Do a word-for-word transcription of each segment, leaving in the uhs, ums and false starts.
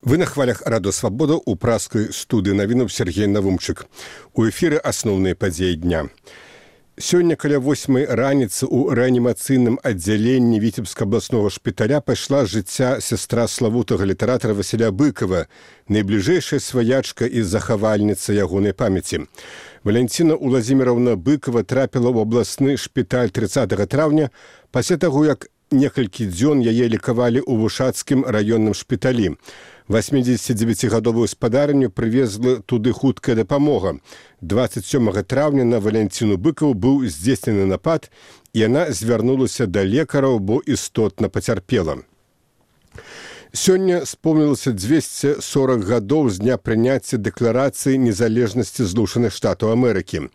Вы на хвалях Радо Свабода у праскай студыі навінаў Сергей Навумчык. У эфіры асноўныя падзеі дня. Сёння каля восьмай раніцы ў рэанімацыйным аддзяленні Віцебска абласнога шпіталя пайшла з жыцця сястра славутага літаратара Васіля Быкова, найбліжэйшая сваячка і захавальніца ягонай памяці. Валянціна Уладзіміраўна Быкова трапіла ў абласны шпіталь трыццатага траўня пасля таго, як некалькі дзён яе лікавалі ў Вушацкім раённым шпіталі. восьмідзесяцідзевяцігадовую спадарню прывезла туды хуткая дапамога. дваццаць сёмага траўня на Валянціну Быкаву быў здзейснены напад, і яна звярнулася да лекараў, бо істотна пацярпела. Сёння спомнілася дзвесце сорак гадоў з дня прыняцця дэкларацыі незалежнасці Злучаных Штатаў Амерыкі.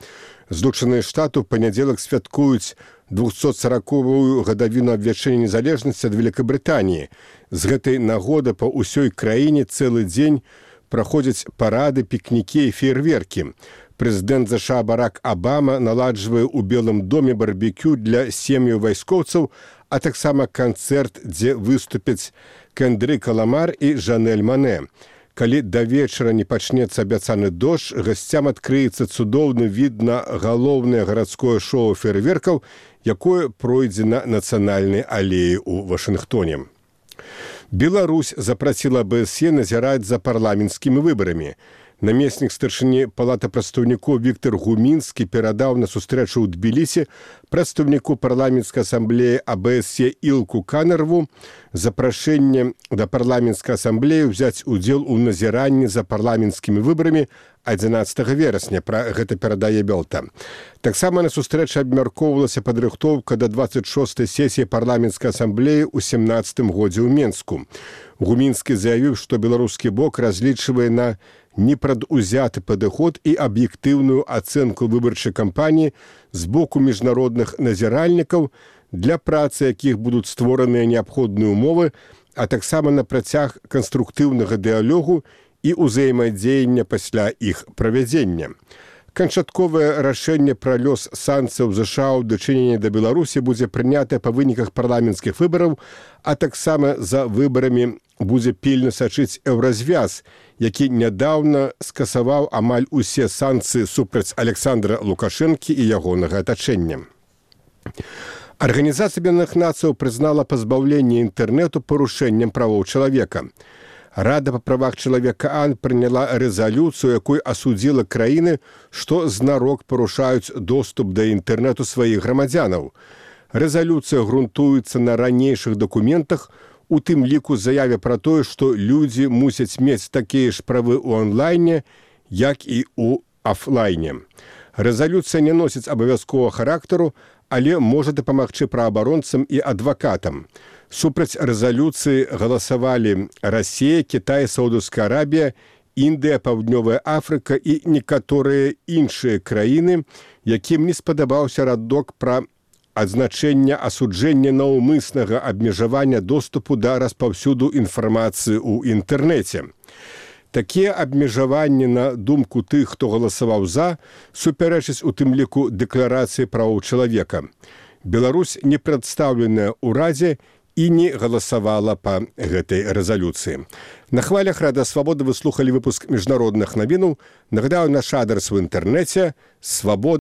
Злучаныя Штаты ў панядзелак святкуюць двухсотсараковую гадавіну абвяшчэння незалежнасці ад Великабрытаніі. З гэтай нагоды па ўсёй краіне цэлы дзень праходзяць парады, пікнікі і феерверкі. Прэзідэнт ЗША Барак Абама наладжвае ў Белым доме барбекю для сем'яў вайскоўцаў, а таксама канцэрт, дзе выступяць Кендрик Ламар і Жанэль Мане. Калі да вечара не пачнецца абяцаны дождж, гасцям адкрыецца цудоўны від на галоўнае гарадское шоу феерверкаў, якое пройдзе на нацыянальнай алеі ў Вашынгтоне. Беларусь запрасіла АБСЕ назіраць за парламенцкімі выбарамі. Намеснік старшыні Палаты прадстаўнікоў Віктор Гумінскі перадаў на сустрэчу ў Тбілісі прадстаўніку парламенцкай асамблеі АБСЕ Ілку Канарву запрашэнне да парламенцкай асамблеі ўзяць удзел у назіранні за парламенцкімі выбарамі адзінаццатага верасня. Пра гэта перадае Белта. Таксама на сустрэчы абмяркоўвалася падрыхтоўка да дваццаць шостай сесіі парламенцкай асамблеі ў сямнаццатым годзе ў Менску. Гумінскі заявіў, што беларускі бок разлічвае на непрадузяты падыход і аб'ектыўную ацэнку выбарчай кампаніі з боку міжнародных назіральнікаў, для працы якіх будуць створаныя неабходныя ўмовы, а таксама на працяг канструктыўнага дыялогу і ўзаемадзеяння пасля іх правядзення. Канчатковае рашэнне пра лёс санкцыяў ЗША ў дачыненні да Беларусі будзе прынятае па выніках парламенцкіх выбараў, а таксама за выбарамі будзе пільна сачыць Еўразвяз, які нядаўна скасаваў амаль усе санкцыі супраць Александра Лукашэнкі і ягонага атачэння. Арганізацыя Аб'яднаных Нацыяў прызнала пазбаўленне інтэрнэту парушэннем правоў чалавека. Рада па правах чалавека АН прыняла рэзалюцыю, якой асудзіла краіны, што знарок парушаюць доступ да інтэрнэту сваіх грамадзянаў. Рэзалюцыя грунтуецца на ранейшых дакументах, у тым ліку заяве пра тое, што людзі мусяць мець такія ж правы ў онлайне, як і ў афлайне. Рэзалюцыя не носіць абавязковага характару, але можа дапамагчы праабаронцам і адвакатам. Супраць рэзалюцыі галасавалі Расія, Кітай, Саудаўская Арабія, Індыя, Паўднёвая Афрыка і некаторыя іншыя краіны, якім не спадабаўся радок пра адзначэнне асуджэння наўмыснага абмежавання доступу да распаўсюду інфармацыі ў інтэрнэце. Такія абмежаванні, на думку тых, хто галасаваў за, супярэчаць у тым ліку дэкларацыі правоў чалавека. Беларусь не прадстаўленая ў Радзе і не галасавала па гэтай рэзалюцыі. На хвалях Рада Свабода вы слухалі выпуск міжнародных навінаў. Нагадаю, наш адрас у інтэрнэце свабода.